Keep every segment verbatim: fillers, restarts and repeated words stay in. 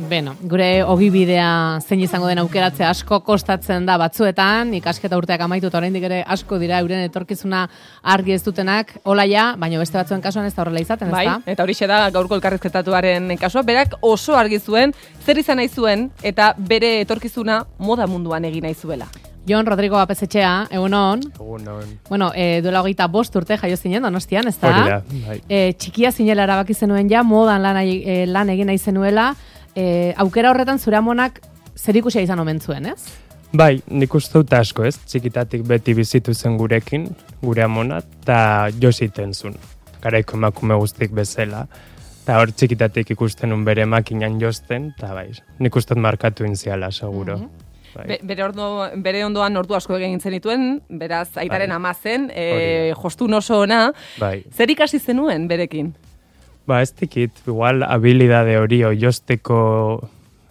Beno, gure ogibidea zein izango den aukeratzea asko kostatzen da batzuetan, ikasketa urteak amaitu eta oraindik ere asko dira euren etorkizuna argi ez dutenak, hola ja, baina beste batzuen kasuan ez da horrela izaten, bai, ezta? Eta horixe da gaurko elkarrizketatuaren kasua, berak oso argi zuen, zer izan nahi zuen eta bere etorkizuna moda munduan egin nahi zuela. Jon Rodrigo Apesetxea, egun hon. Egun hon. Bueno, e, duela hogeita bost urte jaio zinen Donostian, ez da? Hori da, bai. E, txikia zinela erabaki zenuen ja, modan lan, e, lan egin nahi zenuela, e, aukera horretan zure amonak zerikusia izan omen zuen, ez? Bai, nik uste dut asko, ez? Txikitatik beti bizitu zen gurekin, gure amona, eta jositen zuen. Garaiko emakume guztik bezala. Eta hor txikitatik ikusten un bere makinan josten, eta bai, nik uste dut markatu inziala, seguro. Mm-hmm. Be, bere, ordo, bere ondoan ordu asko egin zenituen, beraz aitaren bai. ama zen, e, jostun oso ona. Bai. Zer ikasi zenuen berekin? Ba, ez dikit, igual habilidade hori oiosteko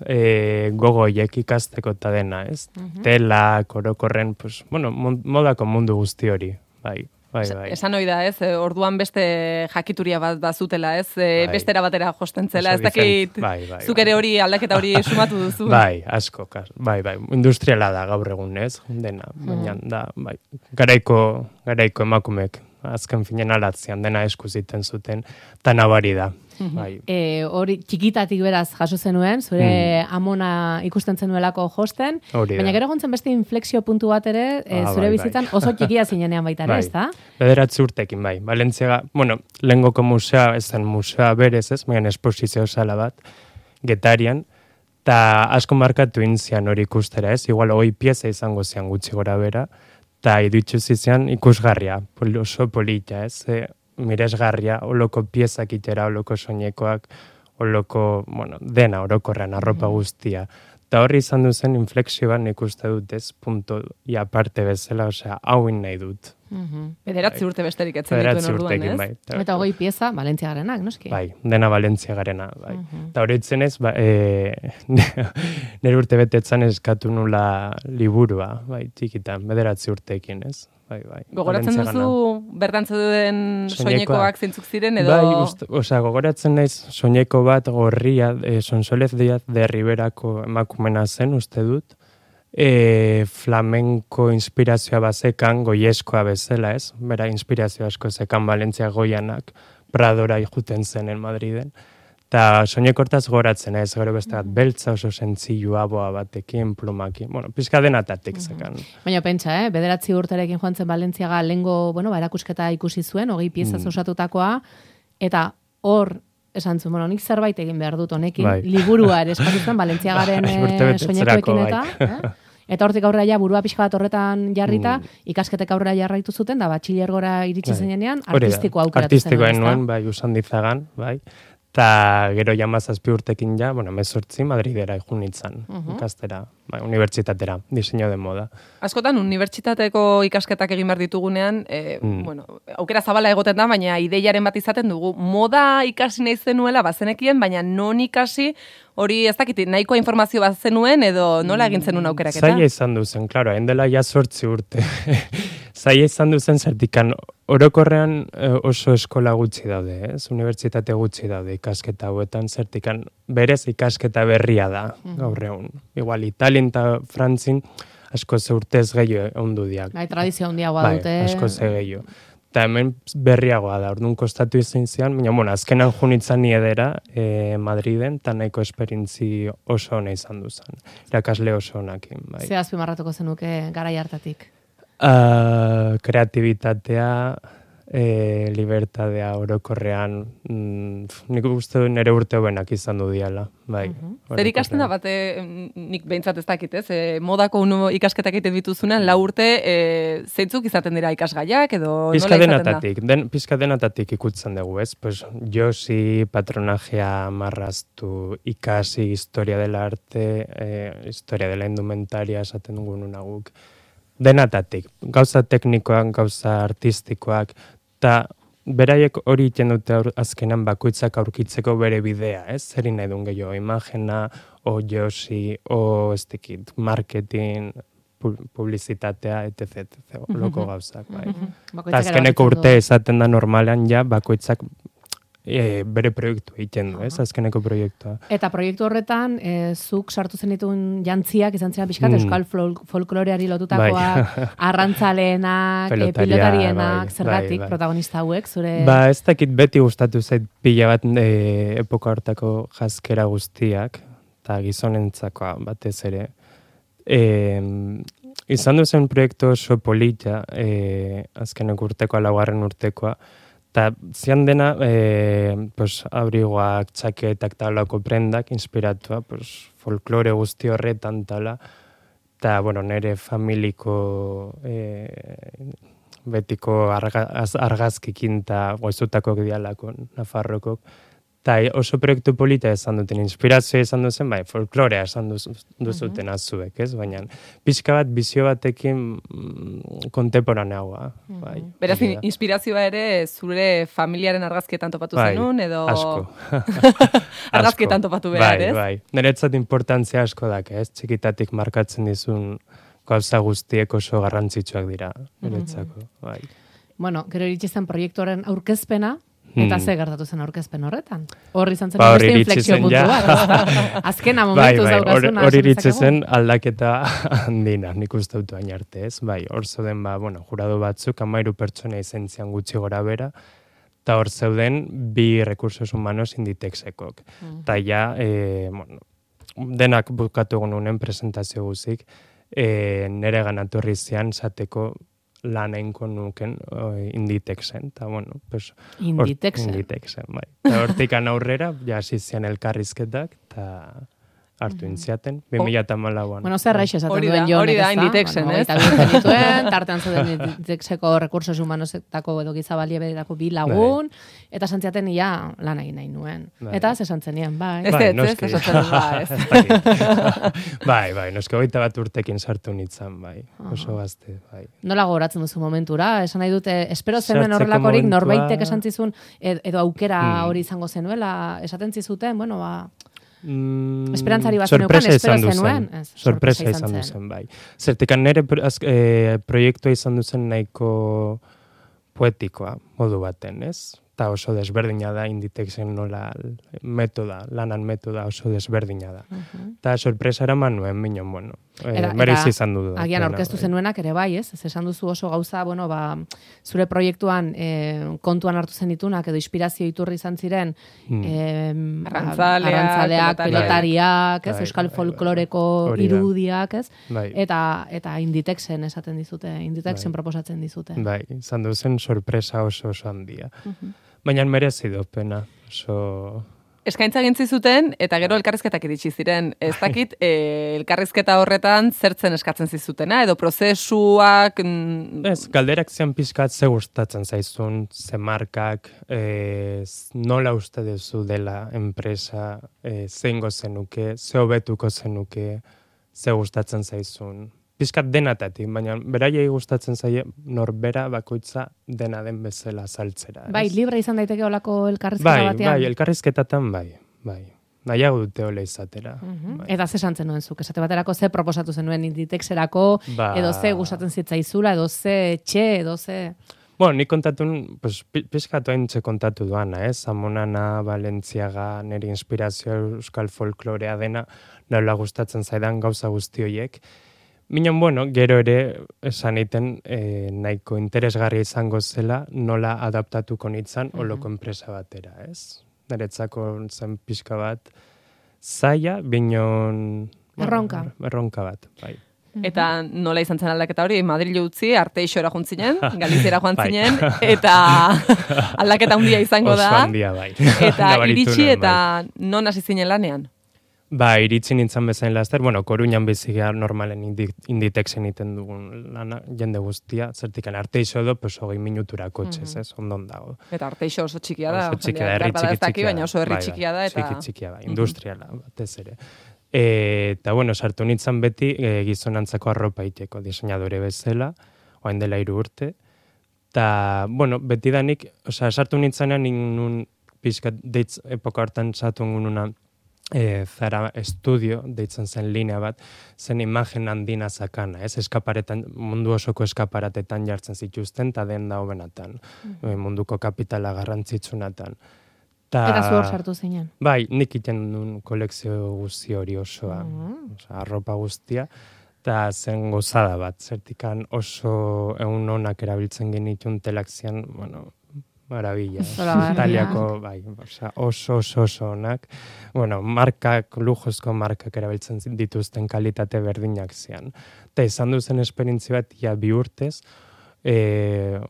e, gogoiek ikasteko eta dena, ez? Mhm. Tela, korokorren, pues, bueno, modako mundu guzti hori, bai. Bai, bai. Esan hoi da, ez, orduan beste jakituria bat bazutela, ez, e, Bai. bestera batera josten zela, Oso ez dakit, bai, bai, zuk ere hori aldaketa hori sumatu duzu. Bai, asko, kas, bai, bai, industriala da gaur egun, ez, dena, baina da, bai, garaiko, garaiko emakumek, azken finen alatzean dena eskuziten zuten, eta nabari da, bai. E, hori txikitatik beraz jaso zenuen, zure mm. amona ikusten zenuelako josten, Hori baina da. gero gontzen beste inflexio puntu bat ere, e, Ah, zure bai, bizitzan bai. oso txikia zinenean baita ere, Bai. ez da? Bederatzi urtekin, bai. Valentziaga, bueno, lehengoko musea, ez zen musea berez, ez, baina esposizio sala bat, Getarian, eta asko markatu intzian hori ikustera, ez, igual hogei pieza izango zian gutxi gora bera, eta idutxu zizian ikusgarria, pol, oso polita, ez, e, miresgarria, oloko piezak itera, oloko soinekoak, oloko, bueno, dena orokorrean, arropa guztia. Eta horri izan duzen inflexio bat nik uste dut ez, punto, ia parte bezala, osea, hauin nahi dut. Bederatzi urte besterik etzen dituen Bederatzi orduan, urtekin, ez? bai. Eta hogei pieza, Valentziagarenak, noski? Bai, dena Valentzia garena, bai. Eta hori itzen ez, ba, e, nire urte betetzan eskatu nula liburua, bai, txikitan, bederatzi urteekin, ez? Bai, bai. Gogoratzen Valentziagana. duzu bertan zeuden Soinekoak. soinekoak zeintzuk ziren edo... Bai, uste, osea, gogoratzen naiz soineko bat gorria, e, Sonsolez Diaz de Riberako emakumena zen, uste dut, e, flamenko inspirazioa bazekan, goieskoa bezala, ez? Bera, inspirazio asko zekan Valentzia goianak, Pradora juten zenen Madriden. Eta soinekortaz goratzen, ez, gero beste bat, beltza oso sentzilua boa batekin, plumakin, bueno, pizka denatatik zekan. Baina pentsa, eh? Bederatzi urterekin joan zen Valentziaga lengo, bueno, ba, erakusketa ikusi zuen, hogei piezaz Mm. osatutakoa, eta hor, esan zuen, bueno, nik zerbait egin behar dut honekin, Bai. liburua ere eskatu zen Valentziagaren Bai, eh, urtebetetzerako, soinekoekin eta, bai. eh? Eta hortik aurrera ja burua pixka bat horretan jarrita, Mm. ikasketek aurrera jarraitu zuten, da batxilergora iritsi Bai. zenean, Hori da, artistikoa aukeratu artistikoa zenuen, nuen, ezta? bai, usandizagan, bai. Eta gero jamazazpi urtekin ja, bueno, mezortzi Madridera ikunitzen, ikastera, bai, unibertsitatera, diseño de moda. Askotan, unibertsitateko ikasketak egin behar ditugunean, e, Mm. bueno, aukera zabala egoten da, baina ideiaren bat izaten dugu. Moda ikasi nahi zenuela bazenekien, baina non ikasi, hori ez dakit, nahikoa informazio bat zenuen edo nola egin zenuen aukeraketa? Zaila izan duzen, klaro, hain dela ja sortzi urte. Zaila izan duzen zertikan, orokorrean eh, oso eskola gutxi daude, ez? Unibertsitate gutxi daude ikasketa hauetan, zertikan berez ikasketa berria da, gaur egun. Igual, Italien eta Frantzin asko ze urtez gehiago ondu diak. Bai, tradizio handiagoa Bai, dute. asko ze gehiago. Eta hemen berriagoa da, orduan kostatu izan zian, baina, bueno, azkenan junitzen ni edera eh, Madriden, eta nahiko esperintzi oso ona izan duzan. Irakasle oso onakin, bai. Ze azpimarratuko zenuke garai hartatik? Uh, kreatibitatea, e, libertadea orokorrean, mm, nik uste du nire urte hobenak izan du diala, bai. Zer ikasten da bate, nik behintzat ez dakit, ez? E, modako unu ikasketak egiten dituzunean, lau urte, e, zeintzuk izaten dira ikasgaiak edo Pizka nola izaten da? denatatik, den, pizka denatatik ikutzen dugu, ez? Pues, josi, patronajea marraztu, ikasi, historia dela arte, eh, historia dela indumentaria esaten dugu nunaguk. Denatatik, gauza teknikoak, gauza artistikoak, eta beraiek hori iten dute aur, azkenan bakoitzak aurkitzeko bere bidea, ez? Zer nahi duen gehiago, imagena, o josi, o ez dakit, marketing, publizitatea, et cetera, et cetera, loko gauzak, bai. Eta azkeneko urte esaten da normalean ja bakoitzak e, bere proiektu egiten du, ez, azkeneko proiektua. Eta proiektu horretan, e, zuk sartu zenituen jantziak, izan ziren pixkat, mm. euskal fol- folkloreari lotutakoak, bai. Arrantzaleenak, e, pilotarienak, bai, zergatik, bai, bai. protagonista hauek, zure... Ba, ez dakit beti gustatu zait pila bat e, epoka hortako jazkera guztiak, eta gizonentzakoa batez ere. E, izan duzen proiektu oso polita, e, azkenek urtekoa, laugarren urtekoa, eta zian dena, e, pues, abrigoak, txaketak, talako prendak, inspiratua, pues, folklore guzti horretan tala, eta, bueno, nire familiko e, betiko argaz, argazkikin eta goizutakok dialako, Nafarrokok, eta oso proiektu polita esan duten, inspirazioa esan duzen, bai, folklorea esan duzuten azuek, ez? Baina, pixka bat, bizio batekin mm, kontemporaneagoa. Bai, beraz, inspirazioa ere zure familiaren argazkietan topatu bai, zenun, edo... Asko. Argazkietan topatu behar, bai, ez? Bai, niretzat importantzia asko dak, ez? Txikitatik markatzen dizun gauza guztiek oso garrantzitsuak dira, niretzako, bai. Bueno, gero iritsi zen proiektuaren aurkezpena, eta ze gertatu zen aurkezpen horretan? Hor izan zen ba, beste inflexio puntu bat. Azkena momentuz bai, bai, daukazuna. Hor iritsi zen aldaketa handina, nik uste dut hain arte, ez? Bai, hor zeuden, ba, bueno, jurado batzuk, amairu pertsona izen zian gutxi gora bera, eta hor zeuden bi recursos humanos Inditexekok. Eta ja, e, bueno, denak bukatu egununen presentazio guzik, e, nere ganatorri zian zateko lan einko nuken Inditexen, eta bueno, pues... Inditexen? Inditexen, bai. Eta hortikan aurrera, ja zizian elkarrizketak, eta hartu intziaten, bi mila eta malauan. Bueno, zer raixe esaten duen jonek, hori da, Inditexen, ez? Eta bihurtzen dituen, tartean zuten Inditexeko recursos humanosetako edo gizabalieberako bi lagun, eta santziaten ia lan egin nahi nuen. Eta ze santzenien, bai. Ez ez, ez, esatzen ba, Bai, bai, noske hogeita bat urtekin sartu nitzan, bai. Oso gazte, bai. Nola gogoratzen duzu momentura? Esan nahi dute, espero zenuen horrelakorik norbaitek esan zizun, edo aukera hori izango zenuela, esaten zizuten, bueno, ba... Mm, Esperantzari bat zeneukan, espero zenuen. Ez, sorpresa izan duzen, bai. Zertikan nire eh, proiektua izan duzen nahiko poetikoa, modu baten, ez? Eta oso desberdina da, Inditexen nola metoda, lanan metoda oso desberdina da. Eta uh-huh. sorpresa eraman nuen, minon, bueno, eh, merezi izan du. Agian aurkeztu zenuenak ere bai, ez? Ez esan duzu oso gauza, bueno, ba, zure proiektuan eh, kontuan hartu zen ditunak, edo inspirazio iturri izan ziren, hmm. eh, arrantzaleak, arrantzaleak pelotariak, ez? Bai, Euskal bai, folkloreko bai, irudiak, ez? Bai. Eta, eta Inditexen esaten dizute, Inditexen bai. proposatzen dizute. Bai, izan duzen sorpresa oso oso handia. Uh-huh. Baina merezi du pena, oso... Eskaintza gintzi zuten, eta gero elkarrizketak iritsi ziren. Ez dakit, e, elkarrizketa horretan zertzen eskatzen zizutena, edo prozesuak... Ez, galderak zian pixkat ze gustatzen zaizun, ze markak, e, nola uste duzu dela enpresa, e, zeingo zenuke, ze hobetuko zenuke, ze gustatzen zaizun. Piskat denatatik, baina beraiei gustatzen zaie norbera bakoitza dena den bezala saltzera. Ez? Bai, libre izan daiteke olako elkarrizketa bai, batean. Bai, elkarrizketatan bai, bai. Nahiago dute ole izatera. Uh-huh. Bai. Eta ze santzen nuen zuk, esate baterako ze proposatu zenuen Inditexerako, ba... edo ze gustatzen zitzaizula, edo ze etxe, edo ze... Bueno, nik kontatun, pues, pixkatu haintxe kontatu duana, ez? Eh? Zamonana, Valentziaga, niri inspirazioa euskal folklorea dena, nola gustatzen zaidan gauza guzti horiek. Minon, bueno, gero ere esan egiten eh, nahiko interesgarria izango zela nola adaptatuko nitzan uh-huh. oloko enpresa batera, ez? Niretzako zen pixka bat zaila, binon... Erronka. Bueno, erronka bat, bai. Eta nola izan zen aldaketa hori, Madrid utzi, Arteixora joan zinen, Galiziera joan zinen, eta aldaketa handia izango da. Oso handia, bai. Eta iritsi eta non hasi zinen lanean? Ba, iritsi nintzen bezain laster, bueno, Koruñan bizigea normalen Inditexen iten dugun lana, jende guztia, zertikan Arteixo edo, pues, hogei minutura kotxez, mm-hmm. ez, ondon dago. Eta Arteixo oso txikia da, oso txikia da, herri txiki txikia, baina oso herri txikia da, eta... Txiki txikia da, industriala, batez ere. E, eta, bueno, sartu nintzen beti e, gizonantzako arropa iteko diseinadore bezala, oain dela hiru urte, eta, bueno, beti danik, osea, sartu nintzenean nun pixkat deitz epoka hartan sartu nuna, E, Zara Estudio, deitzen zen linea bat, zen imagen handina zakana, ez? Eskaparetan, mundu osoko eskaparatetan jartzen zituzten, eta den da hobenatan, mm. munduko kapitala garrantzitsunatan. Ta, Eta zu hor sartu zinen. Bai, nik iten duen kolekzio guzti hori osoa, Mhm. osea, arropa guztia, eta zen gozada bat, zertikan oso egun onak erabiltzen genitun telak zian, bueno, marabila. Zoragarria. Italiako, bai, osea, oso oso oso onak. Bueno, markak, lujozko markak erabiltzen dituzten kalitate berdinak zian. Eta izan duzen esperientzi bat, ja bi urtez, e,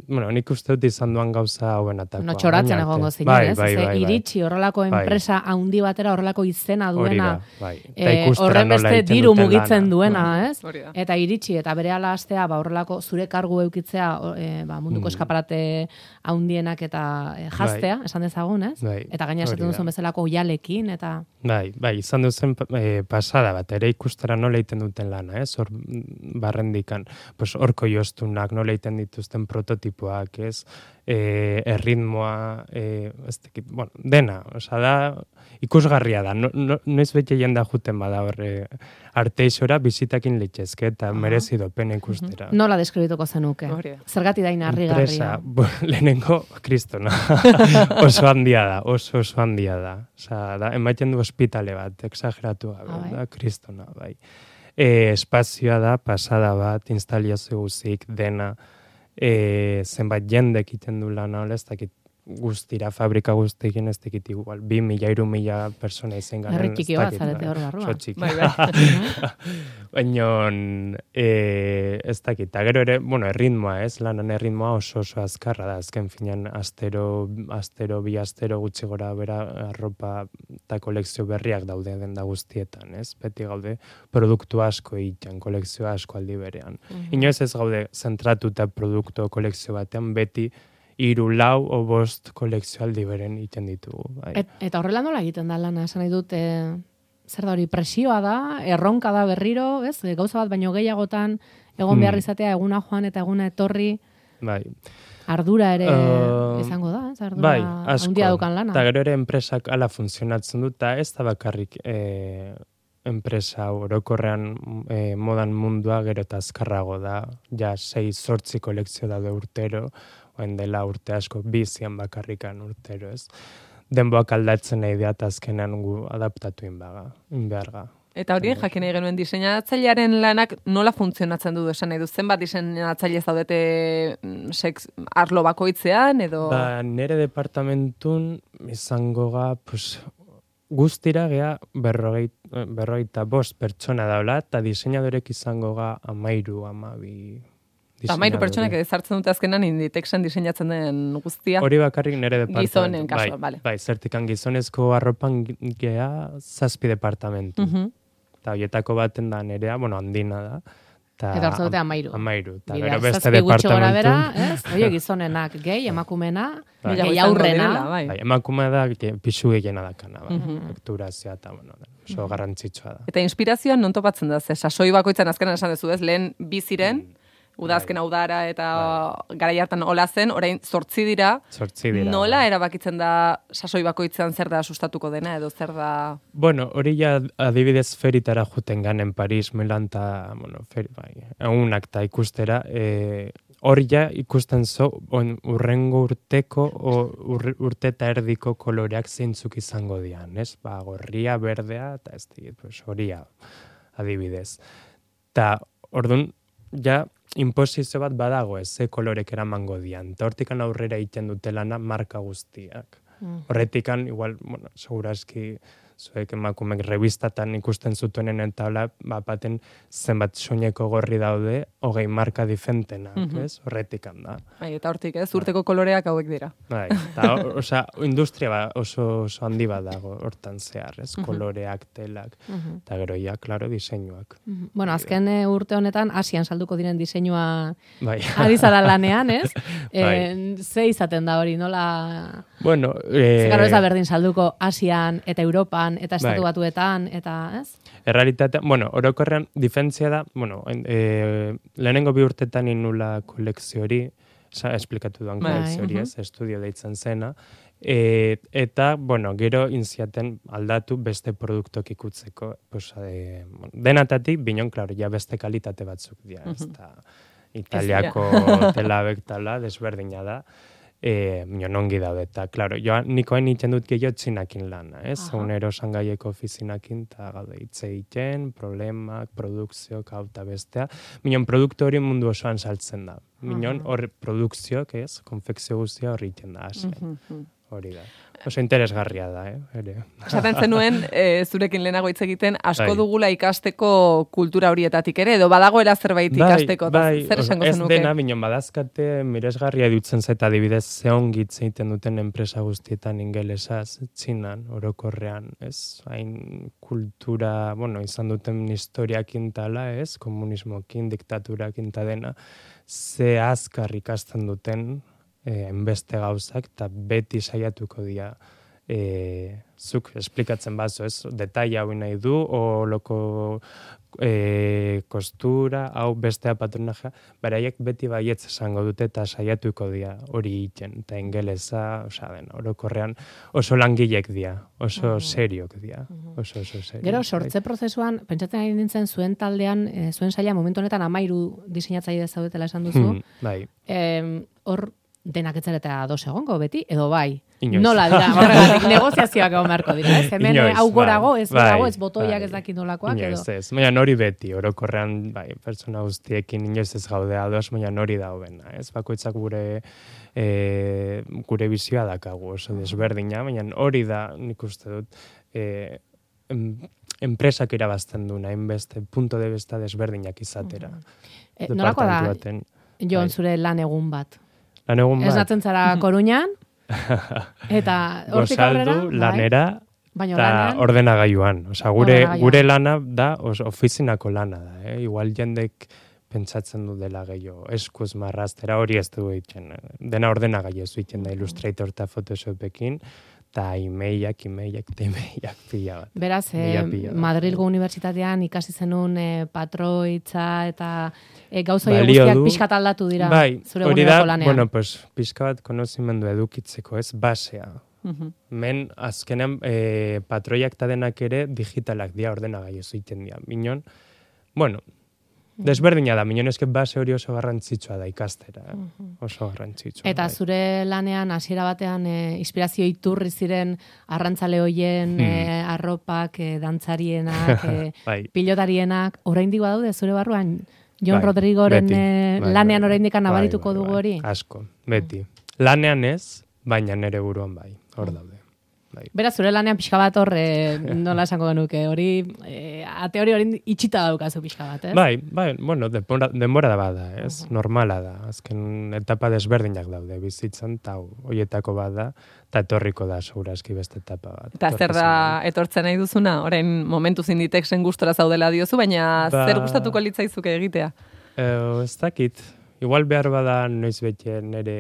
bueno, nik uste dut izan duan gauza hauenatakoa. No, txoratzen orain egongo arte. zinen, Bai, ez? bai, Ze, bai, bai. iritsi horrelako Bai. enpresa handi batera horrelako izena Hori duena, da, bai. Eta eh, ikustera horren nola beste egiten diru duten mugitzen lana. duena, Bai. ez? Hori da. Eta iritsi, eta berehala hastea, ba, horrelako zure kargu eukitzea, o, eh, ba, munduko Mm. eskaparate handienak eta eh, jaztea, esan dezagun, ez? Bai, Eta gaina esaten hori da. duzun bezalako oialekin, eta... Bai, bai, izan duzen e, pasada bat, ere ikustera nola egiten duten lana, ez? Hor mm, barrendikan, pues horko joztunak, nola egiten dituzten prototipoak, ez? E, erritmoa, e, ez dakit, bueno, dena, osea da, ikusgarria da, no, no, noiz bete jenda juten bada horre arteixora bizitakin litzezke, eta Aha. merezi pena ikustera. Nola deskribituko zenuke? Hori da. Zergati da inarrigarria. Enpresa, bo, lehenengo, kristona, oso handia da, oso oso handia da. Osea, da, emaiten du ospitale bat, exageratu gabe, Ah, bai. da, kristona, bai. E, espazioa da, pasada bat, instalazio guzik, dena, e, zenbat jendek egiten du lan hau, ez dakit guztira, fabrika guztiekin ez dakit igual, bi mila, iru mila persona izen garen. Herri txiki bat zarete hor barruan. Oso txiki. Bai, bai. Baina, e, ez dakit, eta gero ere, bueno, erritmoa, ez, lanan erritmoa oso oso azkarra da, azken finean, astero, astero, bi astero gutxi gora bera, arropa eta kolekzio berriak daude denda guztietan, ez, beti gaude, produktu asko egiten, kolekzio asko aldi berean. Inoiz ez gaude zentratuta produktu kolekzio batean, beti hiru lau o bost kolekzio aldi beren egiten ditugu. Bai. Et, eta horrela nola egiten da lana, esan nahi dut, e, zer da hori, presioa da, erronka da berriro, ez? E, gauza bat baino gehiagotan, egon behar Hmm. izatea, eguna joan eta eguna etorri, Bai. ardura ere Uh, izango da, ez? Ardura Bai, asko. handia daukan lana. Eta gero ere enpresak ala funtzionatzen dut, eta ez da bakarrik e, enpresa orokorrean e, modan mundua gero eta azkarrago da, ja sei zortzi kolekzio daude urtero, oen dela urte asko bizian bakarrikan urtero, ez? Denboak aldatzen nahi da, eta azkenan gu adaptatu inbaga, inbeharga. Eta hori jakin nahi genuen diseinatzailearen lanak nola funtzionatzen du esan nahi du? Zenbat diseinatzaile zaudete mm, sex, arlo bakoitzean edo... Ba, nere departamentun izango ga, pues, guztira gea berrogei, berrogeita bost pertsona daula, eta diseinadorek izango ga amairu, amabi... Eta mairu pertsonak ezartzen dute azkenan Inditexen diseinatzen den guztia. Hori bakarrik nere departamentu. Gizonen kasuan, bai, bale. bai, zertikan gizonezko arropan gea zazpi departamentu. Mhm. Eta horietako baten da nerea, bueno, handina da. Ta, Eta hor zaudete amairu. Amairu. Eta Bidea, gero beste zazpi gutxi gora bera, departamentu. ez? Oie, gizonenak, gehi, emakumena, Bai. gehi izango aurrena. direla, bai. Bai, emakumea da, ge- pixu gehiena dakana, bai. Mhm. Fakturazioa eta, bueno, oso garrantzitsua da. Eta inspirazioan non topatzen da, ze sasoi bakoitzan azkenan esan duzu ez, lehen bi ziren, Mm. udazken Bai. udara eta garai hartan hola zen, orain zortzi dira, Zortzi dira. nola bai. erabakitzen da sasoi bakoitzean zer da sustatuko dena, edo zer da... Bueno, hori ja adibidez feritara juten ganen Paris, Milan eta, bueno, feri, bai, egunak eta ikustera, e, hori ja ikusten zo, on, urrengo urteko, o, ur, urte eta erdiko koloreak zeintzuk izango dian, ez? Ba, gorria, berdea, eta ez digit, pues, horia, adibidez. Ta, orduan, ja, inposizio bat badago ez, ze kolorek eramango dian. Eta hortikan aurrera egiten dute lana marka guztiak. Mm. Horretikan, igual, bueno, segurazki, zuek emakumek revistatan ikusten zutenen eta hola, bat baten zenbat soineko gorri daude, hogei marka difentenak, Mhm. ez? Horretikan da. Bai, eta hortik ez, urteko koloreak hauek dira. Bai, eta, o- osea, industria ba, oso, oso handi bat dago hortan zehar, ez? Koloreak, telak, Mhm. eta gero ja, klaro, diseinuak. Mhm. Bueno, azken eh, urte honetan Asian salduko diren diseinua Bai. ari zara lanean, ez? Bai. Eh, ze izaten da hori, nola... Bueno, eh, Zekaro ez da berdin salduko Asian eta Europan eta Estatu Bai. Batuetan, eta, ez? errealitatea, bueno, orokorrean difentzia da, bueno, e, lehenengo bi urtetan inula kolekzio hori, sa, esplikatu duan Bai, kolekzio hori, mhm. ez, estudio deitzen zena, e, eta, bueno, gero inziaten aldatu beste produktok ikutzeko, pues, e, bueno, denatatik, binon, klaro, ja beste kalitate batzuk dira, ez da, Italiako telabek tala, desberdina da, e, minon ongi daude, eta, klaro, joan, nikoen iten dut gehiago txinakin lana, ez? Unero sangaieko ofizinakin, eta gaude hitz egiten, problemak, produkzioak, hau eta bestea. Minon, produktu hori mundu osoan saltzen da. Minon, hor produkzioak, ez? Konfekzio guztia horri iten da, asen. Hori da. Oso interesgarria da, eh? Ere. Esaten zenuen, e, zurekin lehenago hitz egiten, asko bai. Dugula ikasteko kultura horietatik ere, edo badagoera zerbait bai, ikasteko, bai, zer esango zenuke? Ez dena, minon, badazkate, miresgarria dutzen zaita adibidez zehongitz egiten duten enpresa guztietan ingelesaz, txinan, orokorrean, ez? Hain kultura, bueno, izan duten historiakin tala, ez? Komunismokin, diktaturakin ta dena, ze azkar ikasten duten, Eh, enbeste gauzak, eta beti saiatuko dira eh, zuk esplikatzen bazo, ez? Detaila hau nahi du, o loko eh, kostura, hau bestea patronajea, beraiek beti baietz esango dute, eta saiatuko dira hori iten, eta ingelesa, osea, den, orokorrean oso langilek dira, oso mm. seriok dira, oso, oso seriok. Gero, sortze prozesuan, pentsatzen ari nintzen zuen taldean, e, zuen saila momentu honetan amairu diseinatzaile zaudetela esan duzu, Hmm, bai. Hor, denak etzareta ados egongo beti, edo bai. Inoiz. Nola dira, horregatik negoziazioak egon beharko dira, ez? Hemen Inoiz, hau gorago, ez bai, gorago, ez botoiak bai. ez dakit nolakoak, edo. Inoiz, ez. Baina nori beti, orokorrean, bai, pertsona guztiekin inoiz ez gaude ados, baina nori daubena, ez? Bakoitzak gure e, gure bizioa dakagu, oso desberdina, baina hori da, nik uste dut, e, em, enpresak irabazten duna, hainbeste, punto de vista desberdinak izatera. E, nolako da, Jon, zure lan egun bat? Lan egun bat. Ez natzen zara Koruñan, eta hortik aurrera, Gozaldu, lanera, eta lanean, ordenagailuan. Osa, gure, ordenagailuan. gure lana da, os, ofizinako lana da. Eh? Igual jendek pentsatzen du dela gehiago, eskuz marraztera hori ez du egiten. Dena ordenagailu ez egiten da Illustrator eta Photoshopekin, eta emailak, emailak, eta emailak pila bat. Beraz, eh, Madrilgo Unibertsitatean ikasi zenun eh, patroitza eta eh, gauzoi guztiak pixkat aldatu dira bai, zure eguneroko lanean. Bueno, pues, pixka bat konozimendu edukitzeko, ez, basea. Uh-huh. Men, azkenean, eh, patroiak eta denak ere digitalak dira ordenagailu egiten dira. Minon, bueno, desberdina da, minon eske base hori oso garrantzitsua da ikastera, eh? Oso garrantzitsua. Eta bai. zure lanean hasiera batean e, inspirazio iturri ziren arrantzale hoien, hmm. e, arropak, e, dantzarienak, e, bai. pilotarienak, oraindik badaude zure barruan? Jon bai, Rodrigoren beti, e, bai, lanean bai, oraindik bai, nabarituko bai, dugu bai, hori? Asko, beti. Lanean ez, baina nere buruan bai, hor daude. Bai. Beraz, zure lanean pixka bat hor, e, nola esango genuke, hori, e, ate hori hori itxita daukazu pixka bat, ez? Bai, bai, bueno, denbora, denbora da bada, ez? Uh-huh. Normala da, azken etapa desberdinak daude bizitzan, eta horietako bada, eta etorriko da, segurazki beste etapa bat. Eta zer da etortzen nahi duzuna? Orain momentu zinditeksen gustora zaudela diozu, baina ba, zer gustatuko litzaizuke egitea? Eh, ez dakit, igual behar bada noiz bete nere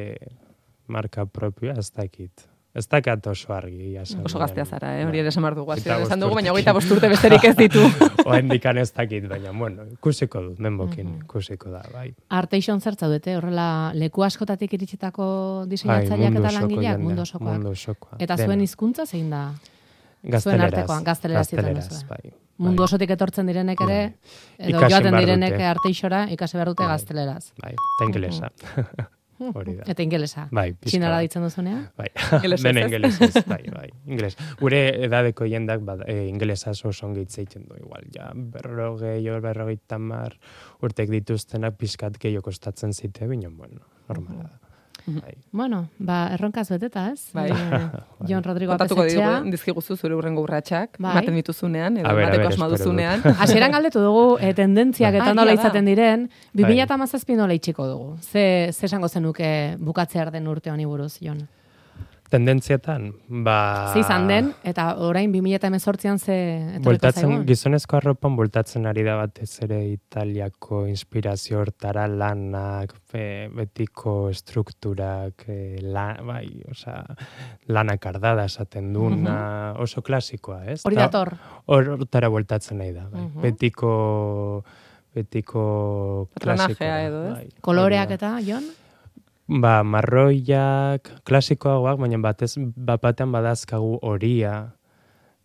marka propioa, ez dakit. Ez dakat oso argi. Oso gaztea zara, eh? Hori ere esan dugu. Esan dugu, baina hogeita bost urte besterik ez ditu. Oendikan ez dakit, baina, bueno, ikusiko dut, menbokin, mm-hmm. ikusiko da, bai. Arteixon zertza dute, horrela, leku askotatik iritsitako diseinatzaileak eta langileak, mundu osokoak. Mundu osokoa. Eta zuen hizkuntza zein da? Gazteleraz. Zuen artekoan, gazteleraz. Gazteleraz, bai. Mundu osotik etortzen direnek ere, edo joaten direnek Arteixora, ikasi behar dute gazteleraz. Bai, eta ingelesa. Hori da. Eta ingelesa. Bai, txinara ditzen duzunean? Bai, dena ingelesez, bai, bai, ingeles. Gure edadeko jendak, bad, e, ingelesaz oso ongi hitz egiten du, igual, ja, berrogei, berrogei tamar, urtek dituztenak pizkat gehiago kostatzen zite, bineon, bueno, normala da. Bai. Bueno, ba, erronkaz beteta, ez? Bai. Jon Rodrigo Apetxea. Apetxea. Dizkiguzu zure urrengo urratsak, bai. Maten dituzunean, edo mateko asma duzunean. Hasieran galdetu dugu, e, tendentziak eta nola izaten diren, bi mila hamazazpi nola itxiko dugu. Ze, ze esango zenuke bukatzear den urte honi buruz, Jon? Tendentzietan, ba... Ze izan den, eta orain bi mila hemezortzian ze etorriko zaigun? Gizonezko arropan bultatzen ari da batez ere Italiako inspirazio hortara lanak, e, betiko estrukturak, e, la, bai, oza, lanak ardada esaten duna, uh-huh. oso klasikoa, ez? Hori dator? Hortara bultatzen nahi da, bai. Uh-huh. Betiko... Betiko klasikoa. Edo, ez? Bai. Koloreak eta, Jon? Ba, marroiak, klasikoagoak, baina batez, bat batean badazkagu horia,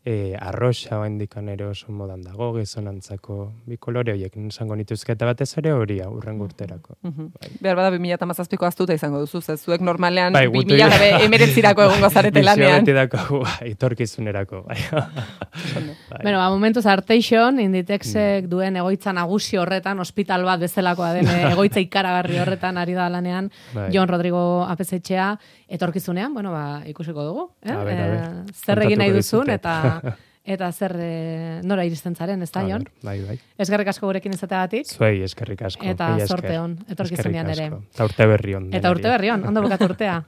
e, arroxa oaindikan ere oso modan dago, gizonantzako bi kolore horiek esango nituzketa batez ere hori urrengo urterako. Mm-hmm. Bai. Behar bada bi mila hamazazpiko aztuta izango duzu, ze zuek normalean bai, bi mila emeretzirako egongo zarete lanean. Bizio beti dako, itorkizunerako. Bai. Bai. Bueno, ba, momentuz Arteixon, Inditexek mm. duen egoitza nagusi horretan, ospital bat bezalakoa den egoitza ikaragarri horretan ari da lanean, bai. Jon Rodrigo Apezetxea, etorkizunean, bueno, ba, ikusiko dugu. Eh? A ber, a ber. E, zer egin nahi duzun, eta eta zer e, nora iristen zaren, ez da, Jon? Bai, bai. Eskerrik asko gurekin izateagatik. Zuei, eskerrik asko. Eta zorte hon, etorkizunean ere. Eta urte berri hon. Eta urte berri hon, ondo bukatu urtea.